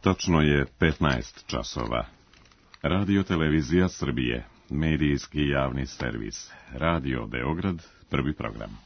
Tačno je 15 časova. Radio Televizija Srbije, medijski javni servis. Radio Beograd, prvi program.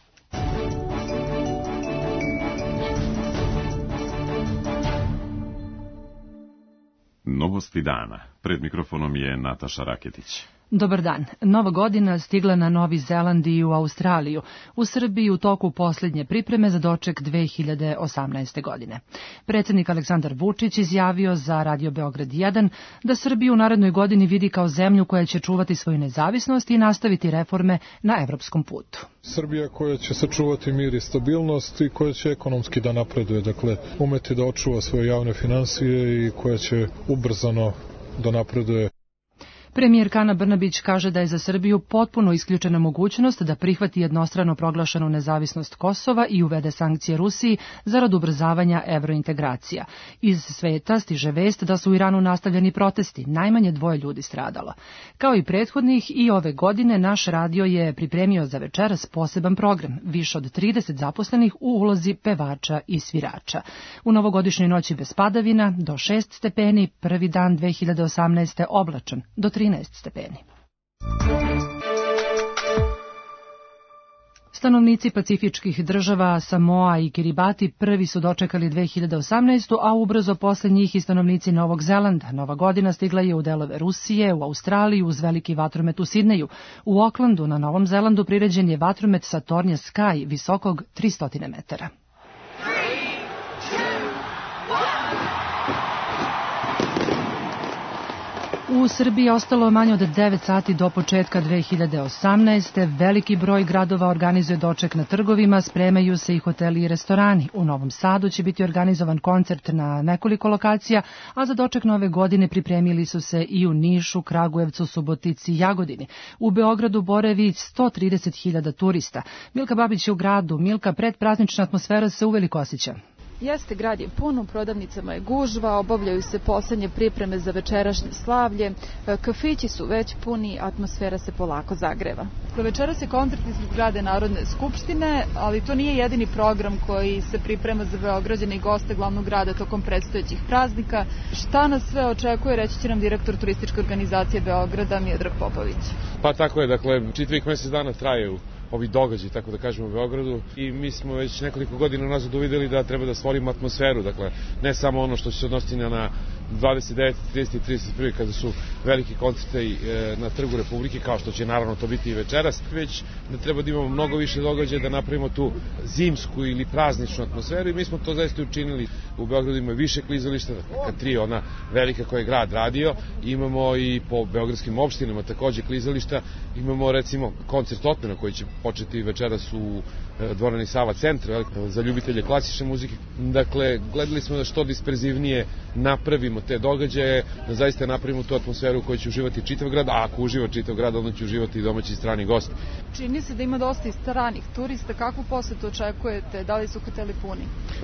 Novosti dana. Pred mikrofonom je Nataša Raketić. Dobar dan. Nova godina stigla na Novi Zeland i u Australiju. U Srbiji u toku posljednje pripreme za doček 2018. godine. Predsjednik Aleksandar Vučić izjavio za Radio Beograd 1 da Srbiju u narednoj godini vidi kao zemlju koja će čuvati svoju nezavisnost i nastaviti reforme na evropskom putu. Srbija koja će sačuvati mir i stabilnost i koja će ekonomski da napreduje, dakle umeti da očuva svoje javne finansije i koja će ubrzano da napreduje. Premijer Ana Brnabić kaže da je za Srbiju potpuno isključena mogućnost da prihvati jednostrano proglašenu nezavisnost Kosova i uvede sankcije Rusiji zarad ubrzavanja evrointegracija. Iz sveta stiže vest da su u Iranu nastavljeni protesti, najmanje 2 ljudi stradalo. Kao i prethodnih i ove godine naš radio je pripremio za večeras poseban program, više od 30 zaposlenih u ulozi pevača i svirača. U novogodišnjoj noći bez padavina do 6 stepeni, prvi dan 2018. oblačan, do 13 stepeni. Stanovnici pacifičkih država Samoa i Kiribati prvi su dočekali 2018. a ubrzo posle njih i stanovnici Novog Zelanda. Nova godina stigla je u delove Rusije, u Australiju uz veliki vatromet u Sidneju. U Aucklandu na Novom Zelandu priređen je vatromet Saturnia Sky visokog 300 metara. U Srbiji je ostalo manje od 9 sati do početka 2018. Veliki broj gradova organizuje doček na trgovima, spremaju se i hoteli i restorani. U Novom Sadu će biti organizovan koncert na nekoliko lokacija, a za doček nove godine pripremili su se i u Nišu, Kragujevcu, Subotici i Jagodini. U Beogradu boravi 130.000 turista. Milka Babić je u gradu. Milka, predpraznična atmosfera se uveliko osjeća. Jeste, grad je pun, u prodavnicama je gužva, obavljaju se poslednje pripreme za večerašnje slavlje, kafići su već puni, atmosfera se polako zagreva. Večeras je koncert ispred zgrade Narodne skupštine, ali to nije jedini program koji se priprema za Beograđane i goste glavnog grada tokom predstojećih praznika. Šta nas sve očekuje, reći će nam direktor turističke organizacije Beograda Miodrag Popović. Pa tako je, dakle, čitavih mesec dana traju ovi događaji, tako da kažemo, u Beogradu i mi smo već nekoliko godina nazad uvideli da treba da stvorimo atmosferu, dakle, ne samo ono što će se odnositi na 29, 30 i 31 kada su veliki koncerti na Trgu Republike, kao što će naravno to biti i večeras, već da treba da imamo mnogo više događaja, da napravimo tu zimsku ili prazničnu atmosferu i mi smo to zaista učinili. U Beogradu ima više klizališta, K3 ona velika koja je grad radio, imamo i po beogradskim opštinama takođe klizališta, imamo recimo koncert Otmena koji će početi večeras u dvorani Sava centra za ljubitelje klasične muzike. Dakle, gledali smo da što disperzivnije napravimo te događaje, da zaista napravimo tu atmosferu u kojoj će uživati čitav grad, a ako uživa čitav grad, onda će uživati i domaći i strani gosti. Čini se da ima dosta i stranih turista, kakvu posetu očekujete, da li su hoteli puni?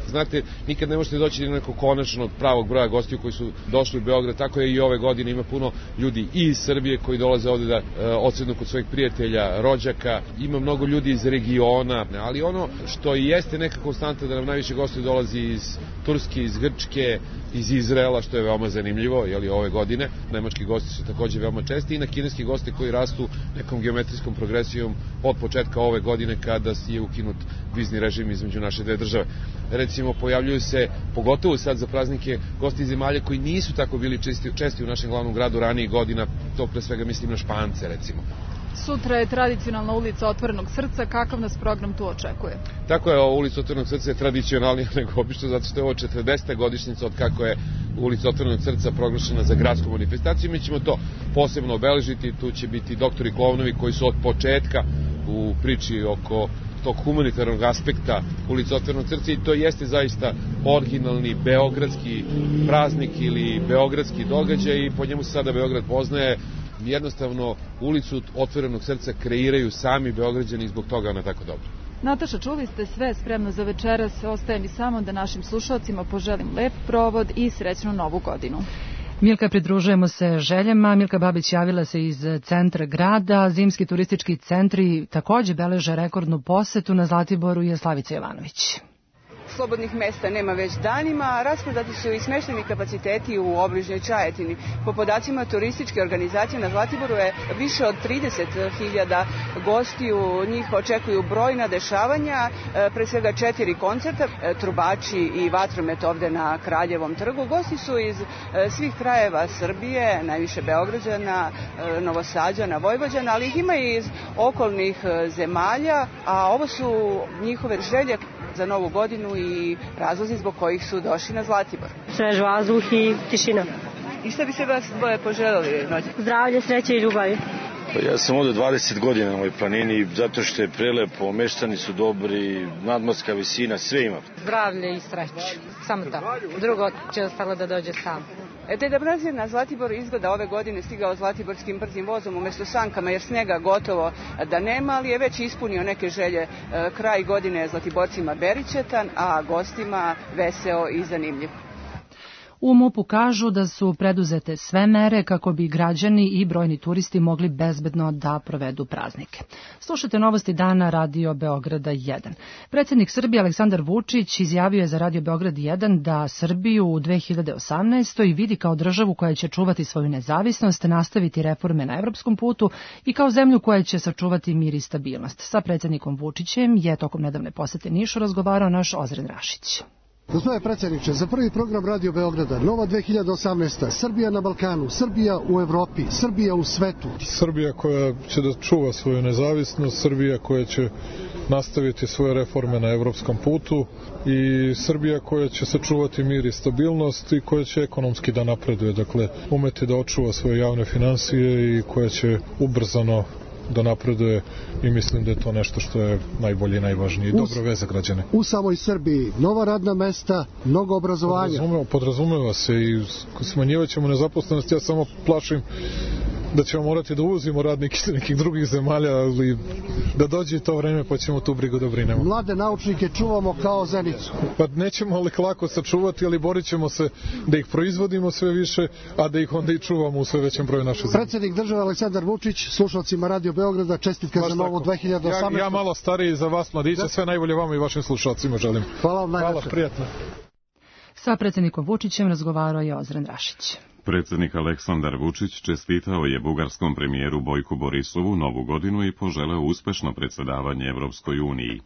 Znate, nikad ne možete doći do nekog konačnog pravog broja gostiju koji su došli u Beograd, tako je i ove godine, ima puno ljudi i iz Srbije koji dolaze ovde da odsednu kod svojih prijatelja, rođaka, ima mnogo ljudi iz regiona, ali ono što i jeste neka konstanta da nam najviše gostiju dolazi iz Turske, iz Grčke, iz Izraela, što je veoma zanimljivo, jeli, ove godine. Nemački gosti su takođe veoma česti i na kineski gosti koji rastu nekom geometrijskom progresijom od početka ove godine kada je ukinut vizni režim između naše dve države. Recimo, pojavljuju se, pogotovo sad za praznike, gosti iz zemalja koji nisu tako bili česti u našem glavnom gradu ranijih godina, to pre svega mislim na Špance, recimo. Sutra je tradicionalna ulica Otvorenog srca, kakav nas program tu očekuje? Tako je, ulica Otvorenog srca je tradicionalnija nego obično, zato što je ovo 40. godišnjica od kako je ulica Otvorenog srca proglašena za gradsku manifestaciju. Mi ćemo to posebno obeležiti, tu će biti doktori klovnovi koji su od početka u priči oko tog humanitarnog aspekta ulica Otvorenog srca i to jeste zaista originalni beogradski praznik ili beogradski događaj i po njemu se sada Beograd poznaje. Jednostavno ulicu Otvorenog srca kreiraju sami Beograđani i zbog toga ona tako dobro. Nataša, čuli ste sve spremno za večeras, ostaje mi samo da našim slušalcima poželim lep provod i srećnu novu godinu. Milka, pridružujemo se željama. Milka Babić javila se iz centra grada. Zimski turistički centri takođe beleže rekordnu posetu. Na Zlatiboru je Slavica Jovanović. slobodnih mesta nema već danima, rasprodati su i smeštajni kapaciteti u obližnjoj Čajetini. Po podacima turističke organizacije na Zlatiboru je više od 30.000 gostiju, njih očekuju brojna dešavanja, pre svega 4 koncerta, trubači i vatromet ovde na Kraljevom trgu. Gosti su iz svih krajeva Srbije, najviše Beograđana, Novosađana, Vojvođana, ali ih ima i iz okolnih zemalja, a ovo su njihove želje za Novu godinu i razlozi zbog kojih su došli na Zlatibor. Svež vazduh i tišina. I šta bi se vas dvoje poželeli noći? Zdravlje, sreće i ljubavi. Ja sam ovde 20 godina na ovoj planini, zato što je prelepo, meštani su dobri, nadmorska visina, sve ima. Zdravlje i sreće, samo to. Drugo će ostalo da dođe sam. Deda Mraz je na Zlatibor izgleda ove godine stigao zlatiborskim brzim vozom umesto sankama, jer snega gotovo da nema, ali je već ispunio neke želje. Kraj godine je Zlatiborcima beričetan, a gostima veseo i zanimljiv. U MUP-u kažu da su preduzete sve mere kako bi građani i brojni turisti mogli bezbedno da provedu praznike. Slušajte novosti dana Radio Beograda 1. Predsjednik Srbije Aleksandar Vučić izjavio je za Radio Beograd 1 da Srbiju u 2018. vidi kao državu koja će čuvati svoju nezavisnost, nastaviti reforme na evropskom putu i kao zemlju koja će sačuvati mir i stabilnost. Sa predsjednikom Vučićem je tokom nedavne posete Nišu razgovarao naš Ozren Rašić. Gospodine predsjedniče, za prvi program Radio Beograda, Nova 2018. Srbija na Balkanu, Srbija u Evropi, Srbija u svetu. Srbija koja će da čuva svoju nezavisnost, Srbija koja će nastaviti svoje reforme na evropskom putu i Srbija koja će sačuvati mir i stabilnost i koja će ekonomski da napreduje, dakle umeti da očuva svoje javne finansije i koja će ubrzano da napreduje i mislim da je to nešto što je najbolje i najvažnije i dobro veze za građane. U samoj Srbiji nova radna mesta, mnogo obrazovanja. Podrazumeva se i smanjivat ćemo nezaposlenost, ja samo plašim da ćemo morati da uvozimo radnike iz nekih drugih zemalja, ali da dođe to vreme pa ćemo tu brigu da brinemo. Mlade naučnike čuvamo kao zenicu. Pa nećemo li lako sačuvati, ali borit ćemo se da ih proizvodimo sve više, a da ih onda i čuvamo u sve većem broju naše zemlje. Predsjednik države Aleksandar Vučić, slušalcima Radio Beograda, čestitka za novu 2018. Ja malo stariji za vas, mladiće, sve najbolje vama i vašim slušalcima želim. Hvala vam najlepše. Hvala, prijatno. Sa predsjednikom Vučićem razgovarao je Ozren Rašić. Predsjednik Aleksandar Vučić čestitao je bugarskom premijeru Bojku Borisovu Novu godinu i poželeo uspešno predsjedavanje Evropskoj uniji.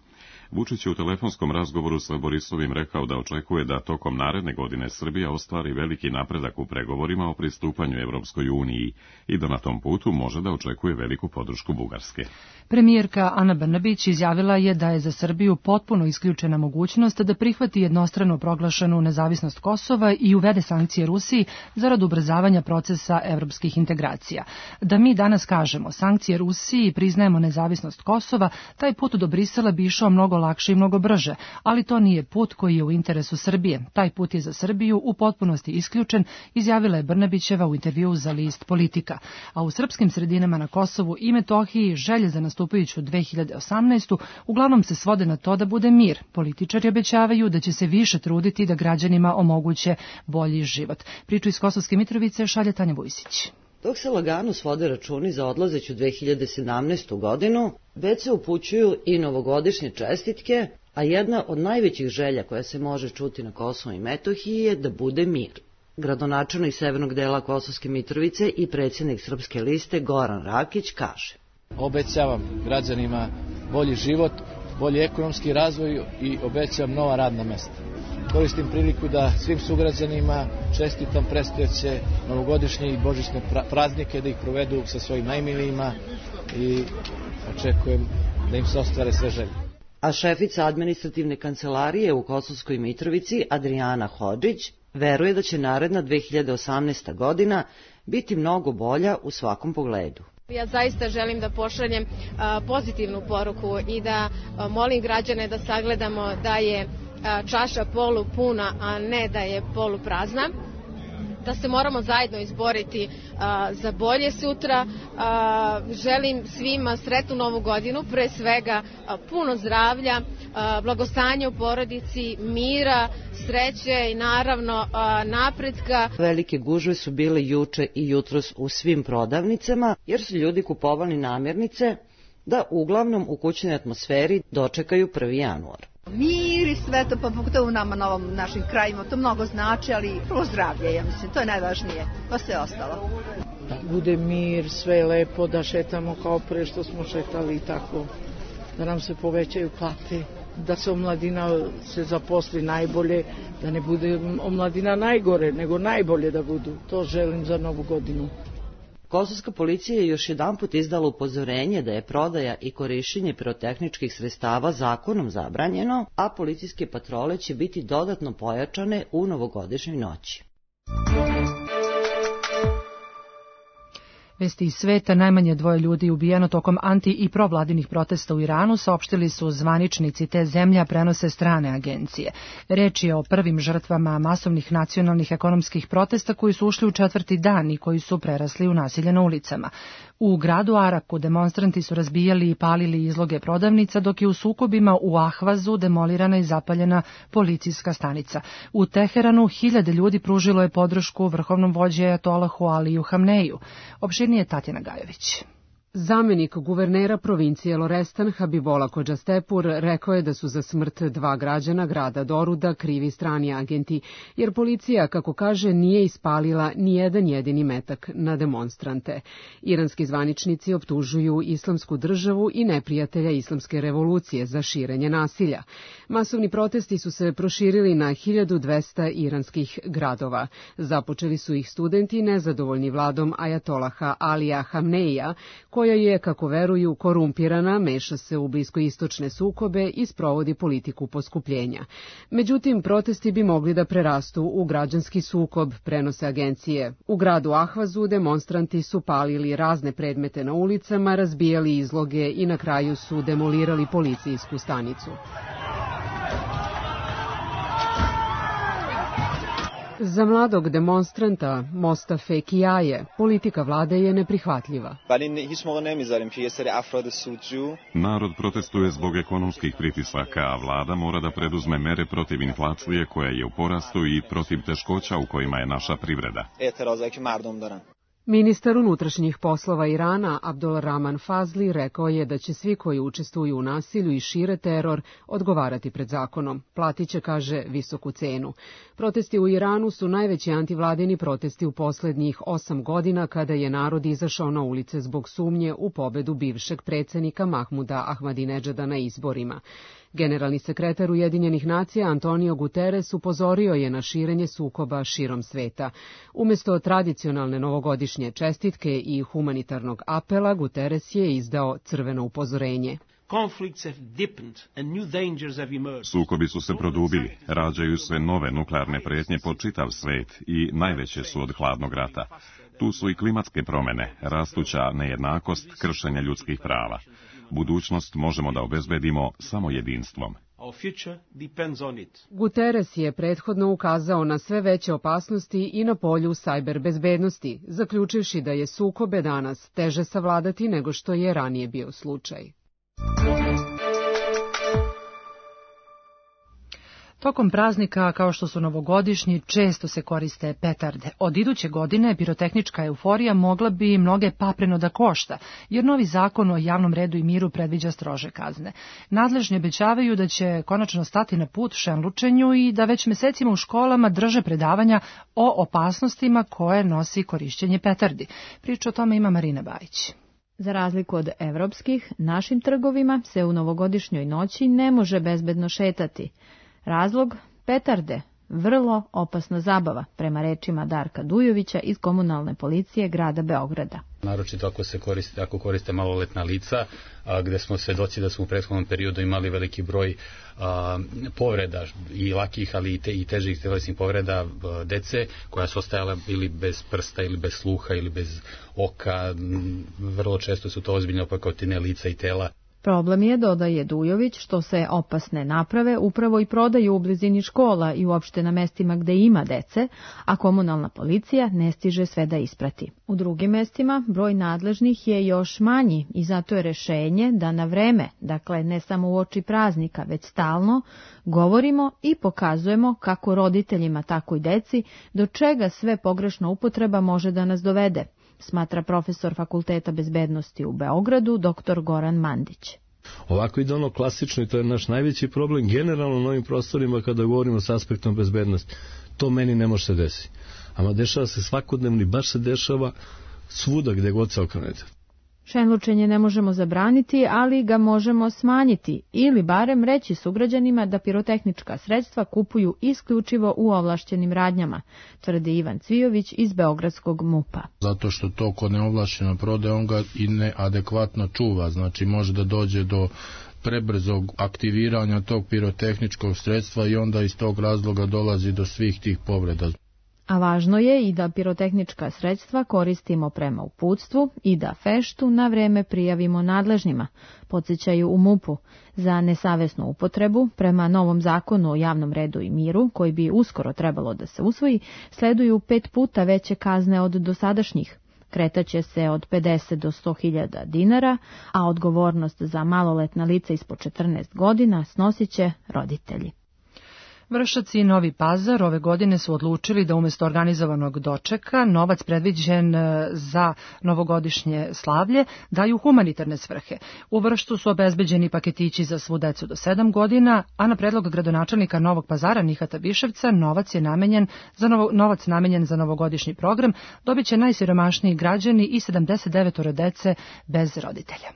Vučić je u telefonskom razgovoru sa Borisovim rekao da očekuje da tokom naredne godine Srbija ostvari veliki napredak u pregovorima o pristupanju Evropskoj uniji i da na tom putu može da očekuje veliku podršku Bugarske. Premijerka Ana Brnabić izjavila je da je za Srbiju potpuno isključena mogućnost da prihvati jednostrano proglašenu nezavisnost Kosova i uvede sankcije Rusiji zarad ubrzavanja procesa evropskih integracija. Da mi danas kažemo sankcije Rusiji i priznajemo nezavisnost Kosova, taj put do Brisela bi išao mnogo lakše i mnogo brže, ali to nije put koji je u interesu Srbije. Taj put je za Srbiju u potpunosti isključen, izjavila je Brnabićeva u intervjuu za list Politika. A u srpskim sredinama na Kosovu i Metohiji želje za nastupajuću 2018. uglavnom se svode na to da bude mir. Političari obećavaju da će se više truditi da građanima omoguće bolji život. Priču iz Kosovske Mitrovice šalje Tanja Vujsić. Dok se lagano svode računi za odlazeću 2017. godinu, već se upućuju i novogodišnje čestitke, a jedna od najvećih želja koja se može čuti na Kosovu i Metohiji je da bude mir. Gradonačelnik severnog dela Kosovske Mitrovice i predsjednik Srpske liste Goran Rakić kaže: Obećavam građanima bolji život, bolji ekonomski razvoj i obećavam nova radna mesta. Koristim priliku da svim sugrađanima čestitam predstojeće novogodišnje i božićne praznike, da ih provedu sa svojim najmilijima i očekujem da im se ostvare sve želje. A šefica administrativne kancelarije u Kosovskoj Mitrovici, Adriana Hodžić, veruje da će naredna 2018. godina biti mnogo bolja u svakom pogledu. Ja zaista želim da pošaljem pozitivnu poruku i da molim građane da sagledamo da je čaša polupuna, a ne da je poluprazna, da se moramo zajedno izboriti za bolje sutra. Želim svima sretnu novu godinu, pre svega puno zdravlja, blagostanja u porodici, mira, sreće i naravno napretka. Velike gužve su bile juče i jutros u svim prodavnicama, jer su ljudi kupovali namirnice da uglavnom u kućnoj atmosferi dočekaju 1. januar. Mir i sve to, pa pogotovo u nama, na ovom našim krajima, to mnogo znači, ali prvo zdravlje, ja mislim, to je najvažnije, pa sve ostalo. Da bude mir, sve je lepo, da šetamo kao pre što smo šetali i tako, da nam se povećaju plate, da se omladina se zaposli najbolje, da ne bude omladina najgore, nego najbolje da budu. To želim za Novu godinu. Kosovska policija je još jedanput izdala upozorenje da je prodaja i korišćenje pirotehničkih sredstava zakonom zabranjeno, a policijske patrole će biti dodatno pojačane u novogodišnjoj noći. Vesti iz sveta, najmanje 2 ljudi ubijeno tokom anti- i provladinih protesta u Iranu, saopštili su zvaničnici te zemlje, prenose strane agencije. Reč je o prvim žrtvama masovnih nacionalnih ekonomskih protesta koji su ušli u 4. dan i koji su prerasli u nasilje na ulicama. U gradu Araku demonstranti su razbijali i palili izloge prodavnica, dok je u sukobima u Ahvazu demolirana i zapaljena policijska stanica. U Teheranu 1000 ljudi pružilo je podršku vrhovnom vođi ajatolahu Aliju Hamneju. Opširnije Tatjana Gajović. Zamenik guvernera provincije Lorestan Habibola Kodžastepur rekao je da su za smrt 2 građana grada Doruda krivi strani agenti, jer policija, kako kaže, nije ispalila ni jedan jedini metak na demonstrante. Iranski zvaničnici optužuju Islamsku državu i neprijatelja Islamske revolucije za širenje nasilja. Masovni protesti su se proširili na 1200 iranskih gradova. Započeli su ih studenti nezadovoljni vladom ajatolaha Alija Hamneija, koja je, kako veruju, korumpirana, meša se u bliskoistočne sukobe i sprovodi politiku poskupljenja. Međutim, protesti bi mogli da prerastu u građanski sukob, prenose agencije. U gradu Ahvazu demonstranti su palili razne predmete na ulicama, razbijali izloge i na kraju su demolirali policijsku stanicu. Za mladog demonstranta Mostafe Kijaje politika vlade je neprihvatljiva. Narod protestuje zbog ekonomskih pritisaka, a vlada mora da preduzme mere protiv inflacije koja je u porastu i protiv teškoća u kojima je naša privreda. Ministar unutrašnjih poslova Irana Abdul Rahman Fazli rekao je da će svi koji učestvuju u nasilju i šire teror odgovarati pred zakonom. Platit će, kaže, visoku cenu. Protesti u Iranu su najveći antivladini protesti u poslednjih 8 godina, kada je narod izašao na ulice zbog sumnje u pobedu bivšeg predsjednika Mahmuda Ahmadinedžada na izborima. Generalni sekretar Ujedinjenih nacija Antonio Guterres upozorio je na širenje sukoba širom sveta. Umesto tradicionalne novogodišnje čestitke i humanitarnog apela, Guterres je izdao crveno upozorenje. Sukobi su se produbili, rađaju se nove nuklearne pretnje po čitav svet i najveće su od hladnog rata. Tu su i klimatske promene, rastuća nejednakost, kršenje ljudskih prava. Budućnost možemo da obezbedimo samo jedinstvom. Guterres je prethodno ukazao na sve veće opasnosti i na polju sajber bezbednosti, zaključivši da je sukobe danas teže savladati nego što je ranije bio slučaj. Tokom praznika, kao što su novogodišnji, često se koriste petarde. Od iduće godine pirotehnička euforija mogla bi mnoge papreno da košta, jer novi zakon o javnom redu i miru predviđa strože kazne. Nadležni obećavaju da će konačno stati na put šenlučenju i da već mesecima u školama drže predavanja o opasnostima koje nosi korišćenje petardi. Priču o tome ima Marina Bajić. Za razliku od evropskih, našim trgovima se u novogodišnjoj noći ne može bezbedno šetati. Razlog? Petarde. Vrlo opasna zabava, prema rečima Darka Dujovića iz komunalne policije grada Beograda. Naročito ako koriste maloletna lica, gde smo svedoci da smo u prethodnom periodu imali veliki broj povreda i lakih, ali i težih telesnih povreda dece, koja su ostajala ili bez prsta, ili bez sluha, ili bez oka. Vrlo često su to ozbiljne opekotine lica i tela. Problem je, dodaje Dujović, što se opasne naprave upravo i prodaju u blizini škola i uopšte na mestima gde ima dece, a komunalna policija ne stiže sve da isprati. U drugim mestima broj nadležnih je još manji i zato je rešenje da na vreme, dakle ne samo u oči praznika, već stalno, govorimo i pokazujemo kako roditeljima, tako i deci, do čega sve pogrešna upotreba može da nas dovede, smatra profesor Fakulteta bezbednosti u Beogradu, dr. Goran Mandić. Ovako ide ono klasično i to je naš najveći problem generalno na ovim prostorima kada govorimo s aspektom bezbednosti. To meni ne može se desiti. Ama dešava se svakodnevno i baš se dešava svuda gde god se okrenete. Šenlučenje ne možemo zabraniti, ali ga možemo smanjiti ili barem reći sugrađanima da pirotehnička sredstva kupuju isključivo u ovlašćenim radnjama, tvrdi Ivan Cvijović iz Beogradskog MUP-a. Zato što to kod neovlašćeno prodaje, on ga i neadekvatno čuva, znači može da dođe do prebrzog aktiviranja tog pirotehničkog sredstva i onda iz tog razloga dolazi do svih tih povreda. A važno je i da pirotehnička sredstva koristimo prema uputstvu i da feštu na vreme prijavimo nadležnima, podsjećaju u MUP-u. Za nesavesnu upotrebu, prema novom zakonu o javnom redu i miru, koji bi uskoro trebalo da se usvoji, sleduju 5 puta veće kazne od dosadašnjih. Kretaće se od 50 do 100.000 dinara, a odgovornost za maloletna lica ispod 14 godina snosit će roditelji. Vršac i Novi Pazar ove godine su odlučili da umjesto organizovanog dočeka novac predviđen za novogodišnje slavlje daju humanitarne svrhe. U Vršcu su obezbeđeni paketići za svu decu do 7 godina, a na predlog gradonačelnika Novog Pazara Nihata Biševca novac namenjen za novogodišnji program dobit će najsiromašniji građani i 79 dece bez roditelja.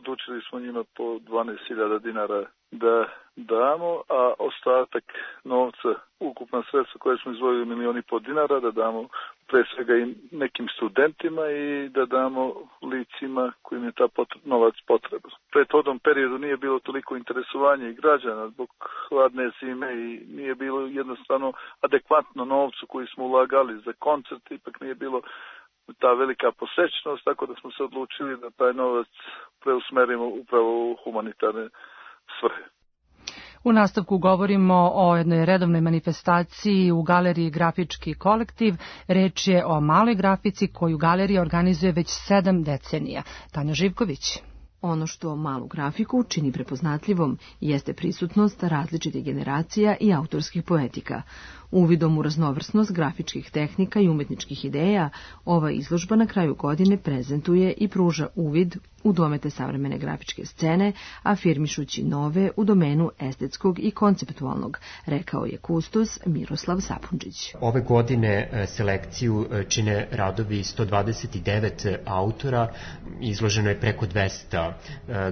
Odlučili smo njima po 12.000 dinara da damo, a ostatak novca, ukupna sredstva koje smo izdvojili 1,5 miliona dinara, da damo pre svega i nekim studentima i da damo licima kojim je ta novac potreba. U prethodnom periodu nije bilo toliko interesovanja i građana zbog hladne zime i nije bilo jednostavno adekvatno novcu koji smo ulagali za koncert, ipak nije bilo ta velika posečnost, tako da smo se odlučili da taj novac preusmerimo upravo u humanitarne svrhe. U nastavku govorimo o jednoj redovnoj manifestaciji u galeriji Grafički kolektiv. Reč je o maloj grafici koju galerija organizuje već 7 decenija. Tanja Živković. Ono što malu grafiku čini prepoznatljivom jeste prisutnost različitih generacija i autorskih poetika. Uvidom u raznovrsnost grafičkih tehnika i umetničkih ideja, ova izložba na kraju godine prezentuje i pruža uvid u domete savremene grafičke scene, afirmišući nove u domenu estetskog i konceptualnog, rekao je kustos Miroslav Sapundžić. Ove godine selekciju čine radovi 129 autora, izloženo je preko 200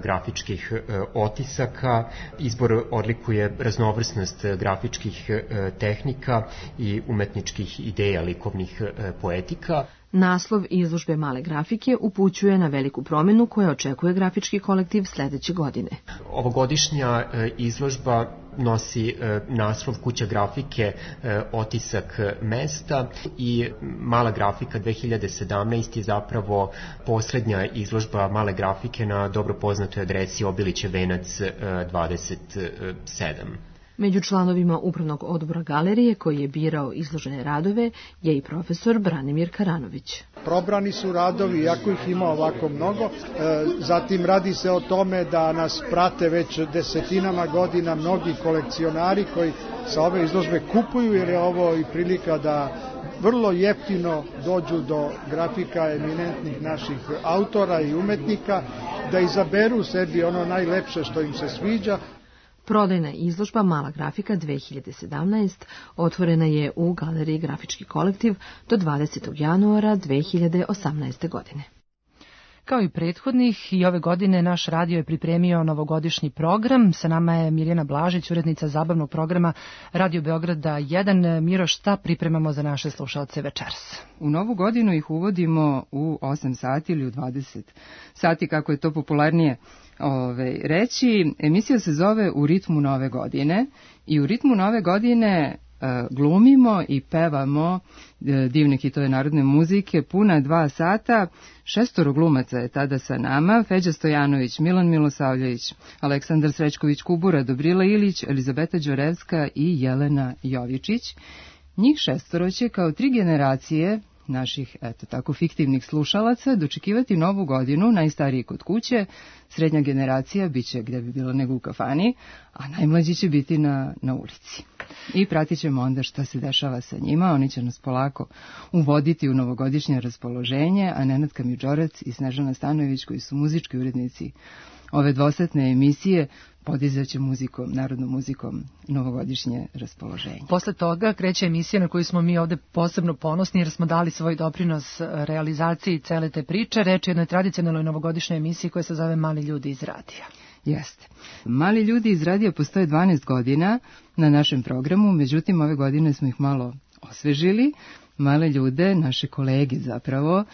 grafičkih otisaka. Izbor odlikuje raznovrsnost grafičkih tehnika i umetničkih ideja likovnih poetika. Naslov izložbe male grafike upućuje na veliku promjenu koja očekuje grafički kolektiv sledeće godine. Ovogodišnja izložba nosi naslov Kuća grafike, otisak mesta i mala grafika 2017 je zapravo posljednja izložba male grafike na dobro poznatoj adresi Obilićev venac 27. Među članovima upravnog odbora galerije koji je birao izložene radove je i profesor Branimir Karanović. Probrani su radovi, iako ih ima ovako mnogo. Zatim radi se o tome da nas prate već desetinama godina mnogi kolekcionari koji sa ove izložbe kupuju, jer je ovo i prilika da vrlo jeftino dođu do grafika eminentnih naših autora i umetnika, da izaberu sebi ono najlepše što im se sviđa. Prodajna izložba Mala grafika 2017 otvorena je u galeriji Grafički kolektiv do 20. januara 2018. godine. Kao i prethodnih, i ove godine naš radio je pripremio novogodišnji program. Sa nama je Mirjana Blažić, urednica zabavnog programa Radio Beograda 1. Miro, šta pripremamo za naše slušalce večeras? U novu godinu ih uvodimo u 8 sati ili u 20 sati, kako je to popularnije reći. Emisija se zove U ritmu nove godine i u ritmu nove godine glumimo i pevamo divne hitove narodne muzike puna 2 sata. 6 glumaca je tada sa nama: Feđa Stojanović, Milan Milosavljević, Aleksandar Srećković Kubura, Dobrila Ilić, Elizabeta Đorevska i Jelena Jovičić. Njih 6 će kao 3 generacije naših, eto tako, fiktivnih slušalaca dočekivati novu godinu, najstariji kod kuće, srednja generacija biće gde bi bilo nego u kafani, a najmlađi će biti na ulici. I pratit ćemo onda šta se dešava sa njima, oni će nas polako uvoditi u novogodišnje raspoloženje, a Nenad Kamidžorac i Snežana Stanojević, koji su muzički urednici ove dvosatne emisije podizaće muzikom, narodnom muzikom novogodišnje raspoloženje. Posle toga kreće emisija na koju smo mi ovde posebno ponosni jer smo dali svoj doprinos realizaciji cele te priče. Reč je o jednoj tradicionalnoj novogodišnjoj emisiji koja se zove Mali ljudi iz radija. Jeste. Mali ljudi iz radija postoje 12 godina na našem programu, međutim ove godine smo ih malo osvežili. Male ljude, naše kolege zapravo,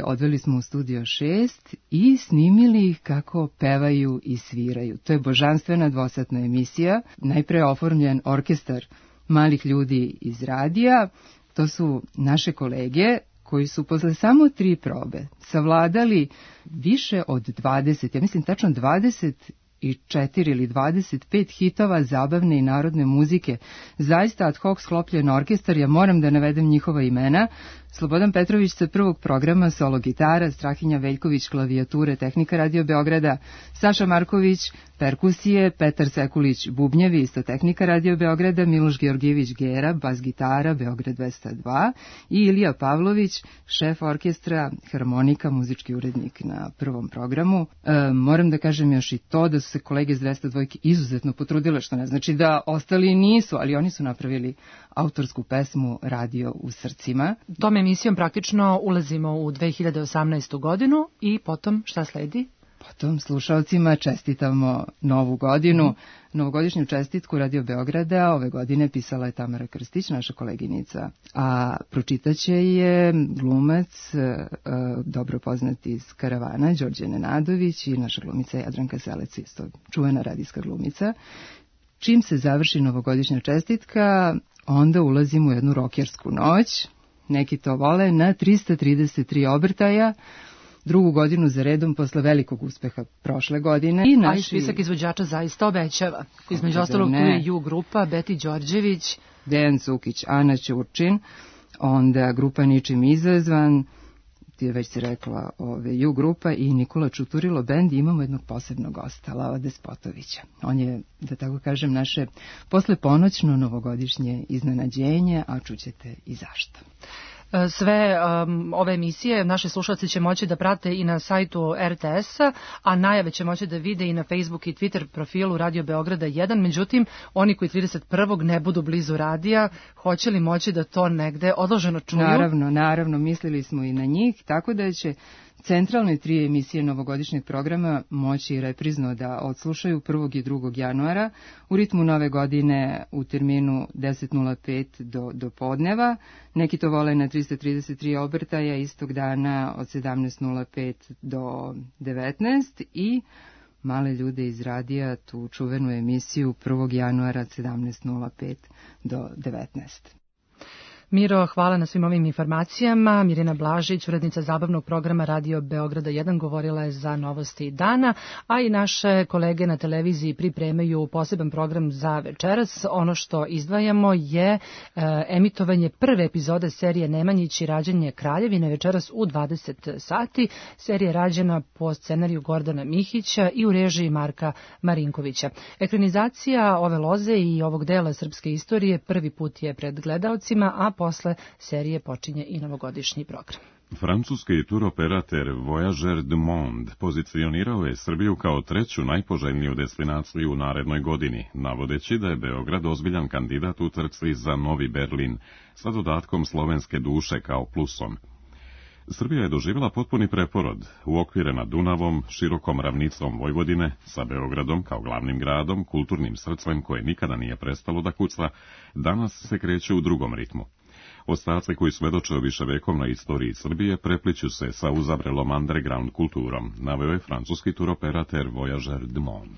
odveli smo u studio 6 i snimili ih kako pevaju i sviraju. To je božanstvena dvosatna emisija. Najpre oformljen orkestar malih ljudi iz radija. To su naše kolege koji su posle samo 3 probe savladali više od 20, ja mislim tačno 24 ili 25 hitova zabavne i narodne muzike. Zaista ad hoc sklopljen orkestar, ja moram da navedem njihova imena. Slobodan Petrović sa prvog programa, solo gitara, Strahinja Veljković, klavijature, tehnika Radio Beograda, Saša Marković, perkusije, Petar Sekulić, bubnjevi, isto tehnika Radio Beograda, Miloš Georgijević, gera, bas gitara, Beograd 202 i Ilija Pavlović, šef orkestra, harmonika, muzički urednik na prvom programu. Moram da kažem još i to da su se kolege iz 202 izuzetno potrudile, što ne znači da ostali nisu, ali oni su napravili autorsku pesmu Radio u srcima. Tom emisijom praktično ulazimo u 2018. godinu i potom šta sledi? Potom slušalcima čestitamo Novu godinu. Novogodišnju čestitku Radio Beograda ove godine pisala je Tamara Krstić, naša koleginica, a pročitaće je glumac dobro poznat iz Karavana, Đorđe Nenadović, i naša glumica Jadranka Selec, isto čuvena radijska glumica. Čim se završi novogodišnja čestitka, onda ulazimo u jednu rokersku noć, neki to vole, na 333 obrtaja, drugu godinu za redom posle velikog uspeha prošle godine. A i spisak izvođača zaista obećava. Između ostalog tu je Ju grupa, Beti Đorđević, Dejan Cukić, Ana Ćurčin, onda grupa Ničim izazvan, ti je već si rekla Ju grupa i Nikola Čuturilo bend. Imamo jednog posebnog gosta, Lava Despotovića. On je, da tako kažem, naše posleponoćno novogodišnje iznenađenje, a čućete i zašto. Sve ove emisije naši slušalci će moći da prate i na sajtu RTS-a, a najave će moći da vide i na Facebook i Twitter profilu Radio Beograda 1. Međutim, oni koji 31. ne budu blizu radija, hoće li moći da to negde odloženo čuju? Naravno, mislili smo i na njih, tako da će centralne 3 emisije novogodišnjeg programa moći reprizno da odslušaju 1. i 2. januara u ritmu nove godine u terminu 10.05 do podneva. Neki to vole na 333 obrtaja istog dana od 17.05 do 19 i Male ljude iz radija, tu čuvenu emisiju 1. januara od 17.05 do 19. Miro, hvala na svim ovim informacijama. Mirjana Blažić, urednica zabavnog programa Radio Beograda 1, govorila je za novosti dana, a i naše kolege na televiziji pripremaju poseban program za večeras. Ono što izdvajamo je emitovanje prve epizode serije Nemanjić i rađanje Kraljevine večeras u 20 sati. Serija je rađena po scenariju Gordana Mihića i u režiji Marka Marinkovića. Ekranizacija ove loze i ovog dela srpske istorije prvi put je pred gledaocima, a posle serije počinje i novogodišnji program. Francuski turoperater Voyageurs du Monde pozicionirao je Srbiju kao 3. najpoželjniju destinaciju u narednoj godini, navodeći da je Beograd ozbiljan kandidat u trci za Novi Berlin, sa dodatkom slovenske duše kao plusom. Srbija je doživjela potpuni preporod, uokvirena Dunavom, širokom ravnicom Vojvodine, sa Beogradom kao glavnim gradom, kulturnim srcem koje nikada nije prestalo da kuca, danas se kreće u drugom ritmu. Ostaci koji svedoče o viševekovnoj istoriji Srbije prepliću se sa uzavrelom underground kulturom, naveo je francuski turoperater Voyageurs du Monde.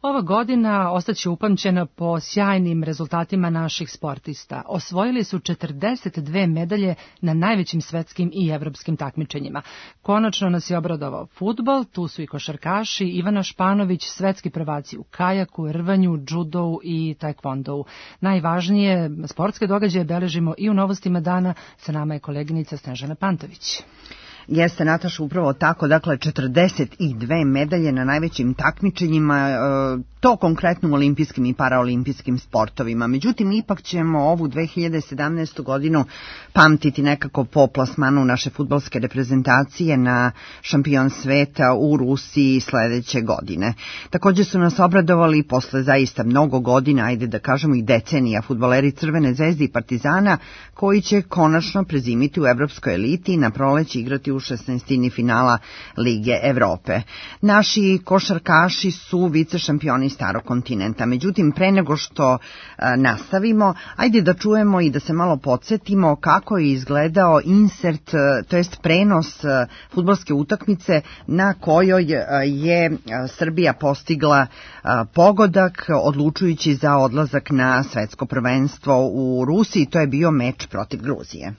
Ova godina ostaće upamćena po sjajnim rezultatima naših sportista. Osvojili su 42 medalje na najvećim svetskim i evropskim takmičenjima. Konačno nas je obradovao fudbal, tu su i košarkaši, Ivana Španović, svetski prvaci u kajaku, rvanju, džudou i tajkvondou. Najvažnije sportske događaje beležimo i u novostima dana. Sa nama je koleginica Snežana Pantović. Jeste, Nataša, upravo tako, dakle 42 medalje na najvećim takmičenjima, to konkretno u olimpijskim i paraolimpijskim sportovima. Međutim, ipak ćemo ovu 2017. godinu pamtiti nekako po plasmanu naše fudbalske reprezentacije na šampion sveta u Rusiji sledeće godine. Također su nas obradovali posle zaista mnogo godina, ajde da kažemo i decenija, fudbaleri Crvene zvezde i Partizana, koji će konačno prezimiti u evropskoj eliti i na proleće igrati u 16. finala Lige Evrope. Naši košarkaši su vice šampioni starog kontinenta. Međutim, pre nego što nastavimo, ajde da čujemo i da se malo podsjetimo kako je izgledao insert, to jest prenos fudbalske utakmice na kojoj je Srbija postigla pogodak odlučujući za odlazak na svetsko prvenstvo u Rusiji. To je bio meč protiv Gruzije.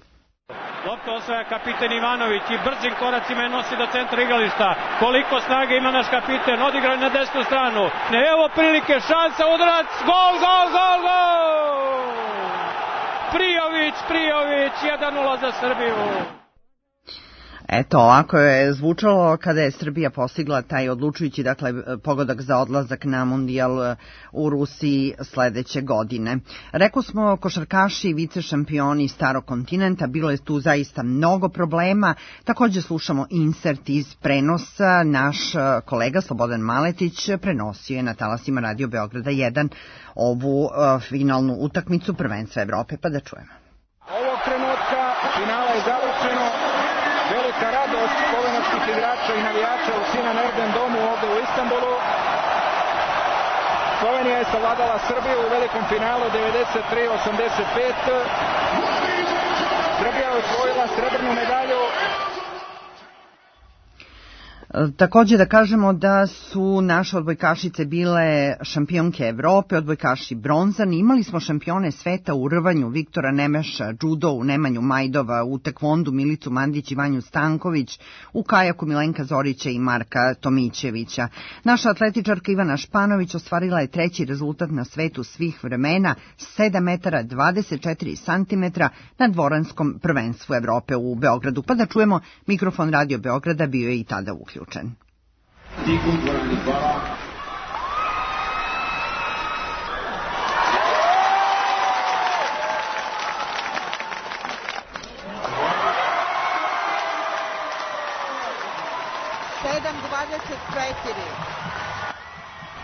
Lopta osvaja kapiten Ivanović i brzim koracima je nosi do centra igrališta. Koliko snage ima naš kapiten, odigrao na desnu stranu. Evo prilike, šansa, udarac, gol, gol, gol, gol! Prijović, 1:0 za Srbiju. Eto, ovako je zvučalo kada je Srbija postigla taj odlučujući, dakle, pogodak za odlazak na mundijal u Rusiji sledeće godine. Rekao smo, košarkaši, vice šampioni starog kontinenta, bilo je tu zaista mnogo problema. Također slušamo insert iz prenosa. Naš kolega Slobodan Maletić prenosio je na talasima Radio Beograda 1 ovu finalnu utakmicu prvenstva Evrope, pa da čujemo. Ovog trenutka finala je završeno. Velika radost slovenačkih igrača i navijača u Sinan Erden domu ovde u Istanbulu. Slovenija je savladala Srbiju u velikom finalu 93-85. Srbija je osvojila srebrnu medalju. Također da kažemo da su naše odbojkašice bile šampionke Evrope, odbojkaši bronzani. Imali smo šampione sveta u rvanju, Viktora Nemeša, judo, u Nemanju Majdova, u tekvondu Milicu Mandić i Vanju Stanković, u kajaku Milenka Zorića i Marka Tomićevića. Naša atletičarka Ivana Španović ostvarila je treći rezultat na svetu svih vremena, 7 metara 24 centimetra na dvoranskom prvenstvu Evrope u Beogradu. Pa da čujemo, mikrofon Radio Beograda bio je i tada uključen. Tiku dvorani, hvala.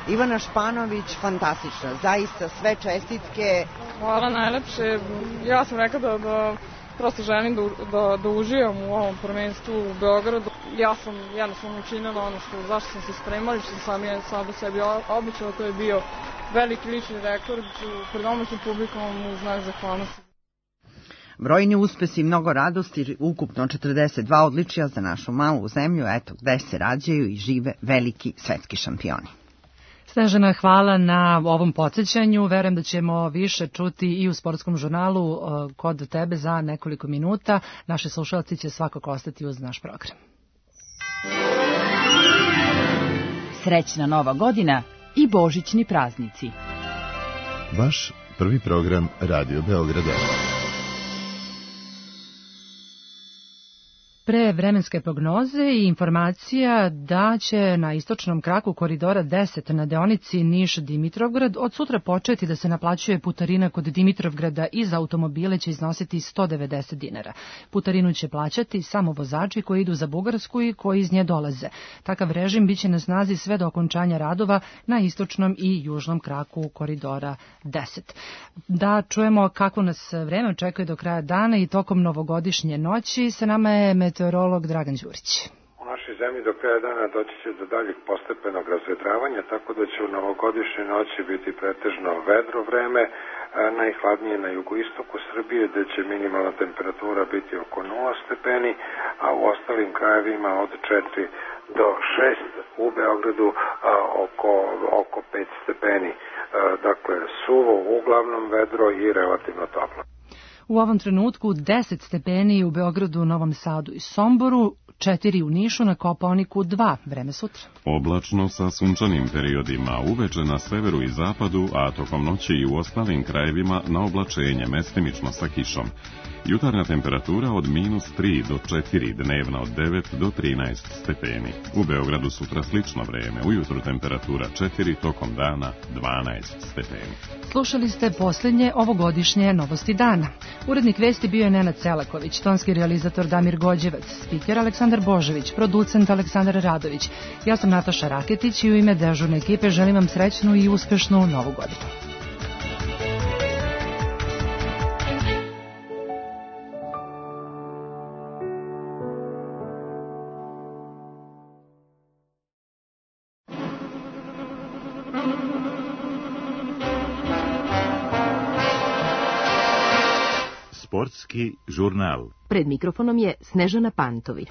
Ivana Španović, fantastična, zaista sve čestitke. Hvala najlepše. Ja sam rekla da prosto želim da uživam u ovom prvenstvu u Beogradu. Ja sam jednostavno učinila ono zašto sam se spremala, što sam sada sebi običala, to je bio veliki lični rekord pred domaćim publikom u znak zahvalnosti. Brojni uspesi i mnogo radosti, ukupno 42 odličja za našu malu zemlju, eto gde se rađaju i žive veliki svetski šampioni. Snežana, hvala na ovom podsjećanju. Verujem da ćemo više čuti i u sportskom žurnalu kod tebe za nekoliko minuta. Naši slušalci će svakako ostati uz naš program. Srećna Nova godina i božićni praznici. Vaš prvi program Radio Beograda. Pre vremenske prognoze i informacija da će na istočnom kraku koridora 10 na deonici Niš-Dimitrovgrad od sutra početi da se naplaćuje putarina kod Dimitrovgrada i za automobile će iznositi 190 dinara. Putarinu će plaćati samo vozači koji idu za Bugarsku i koji iz nje dolaze. Takav režim biće na snazi sve do okončanja radova na istočnom i južnom kraku koridora 10. Da čujemo kako nas vreme očekuje do kraja dana i tokom novogodišnje noći. Sa nama je meteorolog Dragan Đurić. U našoj zemlji do kraja dana doći će do daljeg postepenog razvedravanja, tako da će u novogodišnjoj noći biti pretežno vedro vreme, najhladnije na jugoistoku Srbije, gde će minimalna temperatura biti oko 0 stepeni, a u ostalim krajevima od 4 do 6, u Beogradu oko 5 stepeni. Dakle, suvo, uglavnom vedro i relativno toplo. U ovom trenutku 10 stepeni u Beogradu, Novom Sadu i Somboru, 4 u Nišu, na Kopaoniku 2, vreme sutra. Oblačno sa sunčanim periodima, uveče na severu i zapadu, a tokom noći i u ostalim krajevima na oblačenje, mestimično sa kišom. Jutarnja temperatura od -3 do 4, dnevna od 9 do 13 stepeni. U Beogradu sutra slično vreme, ujutru temperatura 4, tokom dana 12 stepeni. Slušali ste posljednje ovogodišnje novosti dana. Urednik vesti bio je Nenad Selaković, tonski realizator Damir Gođevac, spiker Aleksandar Božević, producent Aleksandar Radović. Ja sam Nataša Raketić i u ime dežurne ekipe želim vam srećnu i uspešnu novu godinu. Sportski žurnal. Pred mikrofonom je Snežana Pantović.